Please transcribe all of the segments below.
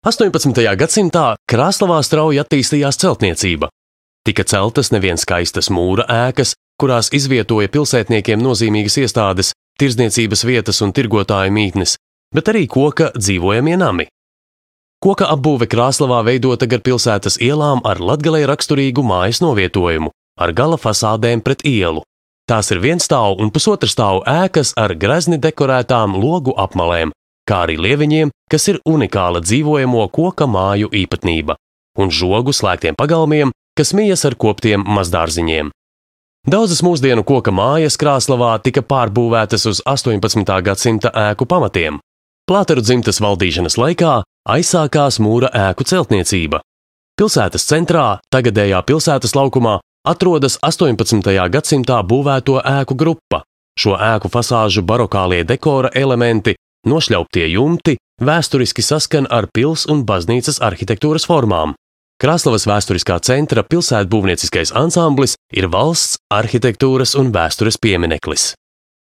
18. gadsimtā Krāslavā strauji attīstījās celtniecība. Tika celtas nevien skaistas mūra ēkas, kurās izvietoja pilsētniekiem nozīmīgas iestādes, tirdzniecības vietas un tirgotāju mītnes, bet arī koka dzīvojamie nami. Koka apbūve Krāslavā veidota gar pilsētas ielām ar Latgalei raksturīgu mājas novietojumu, ar gala fasādēm pret ielu. Tās ir vienstāvu un pusotrastāvu ēkas ar grezni dekorētām logu apmalēm, kā arī lieviņiem, kas ir unikāla dzīvojamo koka māju īpatnība, un žogu slēgtiem pagalmiem, kas mijas ar koptiem mazdārziņiem. Daudzas mūsdienu koka mājas Krāslavā tika pārbūvētas uz 18. gadsimta ēku pamatiem. Plāteru dzimtas valdīšanas laikā aizsākās mūra ēku celtniecība. Pilsētas centrā, tagadējā pilsētas laukumā, atrodas 18. gadsimtā būvēto ēku grupa. Šo ēku fasāžu barokālie dekora elementi, nošļauptie jumti, vēsturiski saskan ar pils un baznīcas arhitektūras formām. Krāslavas vēsturiskā centra pilsētbūvnieciskais ansamblis ir valsts arhitektūras un vēstures piemineklis.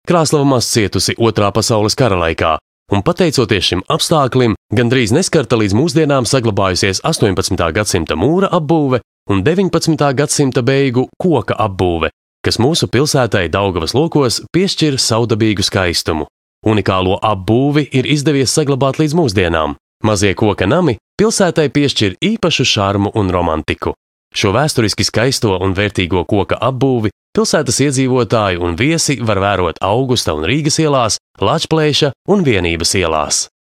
Krāslava maz cietusi Otrā pasaules kara laikā, un pateicoties šim apstāklim, gandrīz neskarta līdz mūsdienām saglabājusies 18. gadsimta mūra apbūve un 19. gadsimta beigu koka apbūve, kas mūsu pilsētai Daugavas lokos piešķir savdabīgu skaistumu. Unikālo apbūvi ir izdevies saglabāt līdz mūsdienām. Mazie koka nami pilsētai piešķir īpašu šarmu un romantiku. Šo vēsturiski skaisto un vērtīgo koka apbūvi pilsētas iedzīvotāji un viesi var vērot Augusta un Rīgas ielās, Lāčplēša un Vienības ielās.